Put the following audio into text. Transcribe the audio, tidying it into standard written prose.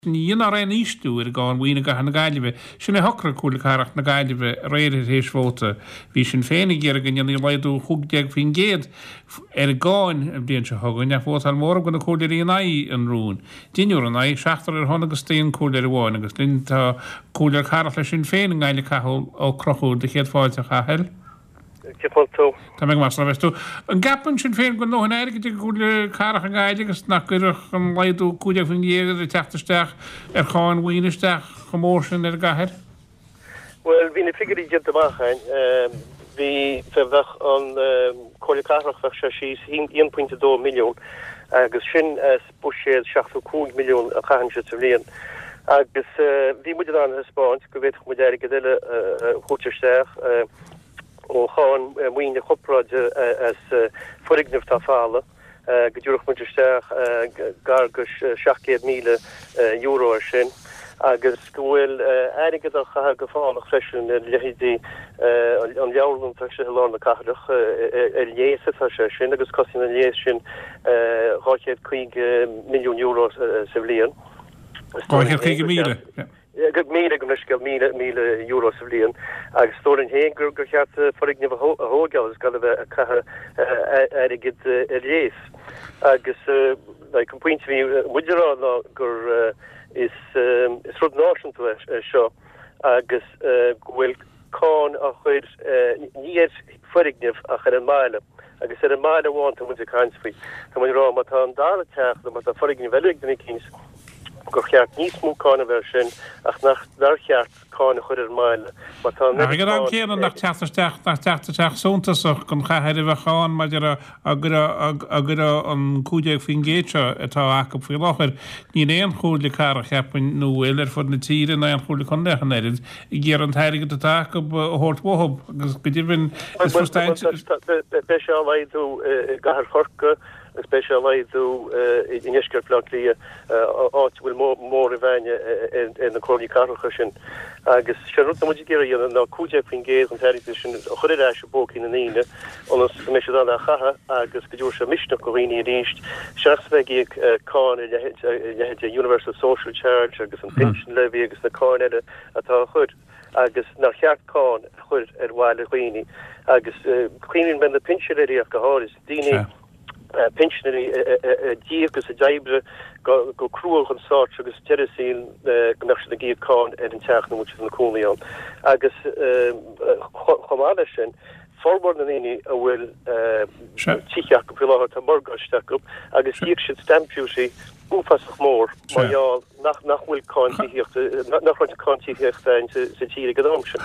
Ina dhiaidh nach raibh aon ísliú ar an gcáin mhaoine i gcathair na Gaillimhe, sin a shocraigh Comhairle Cathrach na Gaillimhe aréir tar éis vóta. Bhí Sinn Féin ag iarraidh go ndéanfaí laghdú 15% ar an gcáin an bhliain seo chugainn ach vótáil móramh de na comhairleoirí in aghaidh an rúin. Deichniúr in aghaidh, seachtar ar shon agus d'aon comhairleoir amháin agus linn tá Comhairleoir Cathrach le Sinn Féin i nGaillimh Cathal Ó Conchúir do chéad fáilte a Chathail. Cén chaoi a bhfuil tú? Tá mé go maith, slán a bheas tú. An gceapann Sinn Féin go bhfuil a ndóthain airgid ag an gComhairle Cathrach i nGaillimh agus nach gcuirfeadh an laghdú 15% ag teacht isteach ar cháin mhaoine isteach chomh mór sin ar an gcathair? Bhuel, bhí na figiúirí déanta amach againn. Bhí, bheadh an Comhairle Cathrach, bheadh sé síos 1.2 milliún agus sin as buiséad 75 milliún a chaitheann siad sa bhliain. Agus bhí muid in ann a thaispeáint go bhféadfadh muid airgead eile a thabhairt isteach ó cháin maoine chorparáide as foirgnimh atá folamh, go dtabharfadh muid isteach gar go €700,000 ar sin agus go bhfuil airgead á chaitheamh go fánach freisin ar leithéidí an leabharlann atá istigh i lár na cathrach, ar léas atá sé sin agus cosnaíonn an léas sin €250 milliún sa bhliain. 250,000? Míle, gabh mo leithscéal, €1,000 sa bhliain agus is dóigh linn féin gur cheart foirgneamh a thóigeáil agus gan a bheith ag caitheamh airgid ar léas. Agus like an pointe a bhí muid a rá ná gur is rud náisiúnta é seo agus go bhfuil cáin á chur ní ar foirgneamh ach ar an mbaile agus ar an mbaile amháin tá muid ag caint faoi. Tá muid ag rá má tá an dara teach nó má tá foirgneamh eile ag duine eicínt gur cheart níos mó cáin a bheith air sin ach nach nár cheart cáin a chur ar an mbaile má tá an Ach ag an am céanna nach teacht isteach nach teacht isteach suntasach don chathair a bheadh ann maidir a á gcuirfeadh an 15% seo atá acu faoi láthair. Níl aon chomhairle cathrach, cheapfainn, nó bhfuil, ar fud na tíre, ná aon chomhairle contae ach an oiread, ag iarraidh an t-airgead atá acu a thabhairt uathu agus go deimhin is Beidh sé á laghdú i gcathair Chorcaí agus beidh sé á laghdú i ndeisceart Bhaile Átha Cliath, áit a bhfuil móramh againne ar na comhairlí cathracha sin. Agus sé an rud atá muid ag iarraidh a dhéanamh ná 15% den t-airgead sin a chur ar ais i bpócaí na ndaoine ionas go mbeidh siad in ann é a chaitheamh agus go dtabharfaidh sé misneach do dhaoine arís seachas a bheith ag íoc cáin ar leithéidí Universal Social Charge agus an Pension Levy agus na cáin eile atá á chur agus nár cheart cáin a chur ar bhaile dhaoine agus cuimhníonn mé ar na pinsinéirí ach go háirid, daoine pinsinéirí a d'íoc agus a d'oibrigh go crua chun stát agus deireadh saoil go mbeadh siad ag íoc cáin ar an teach ina bhfuil siad ina cónaí ann. Agus chomh maith leis sin, formhór na ndaoine a bhfuil tithe acu faoi láthair, tá morgáiste acu agus d'íoc siad stamp duty uafásach mór mar gheall nach bhfuil cáin tithíochta, nach raibh cáin tithíochta ann sa tír ag an am sin.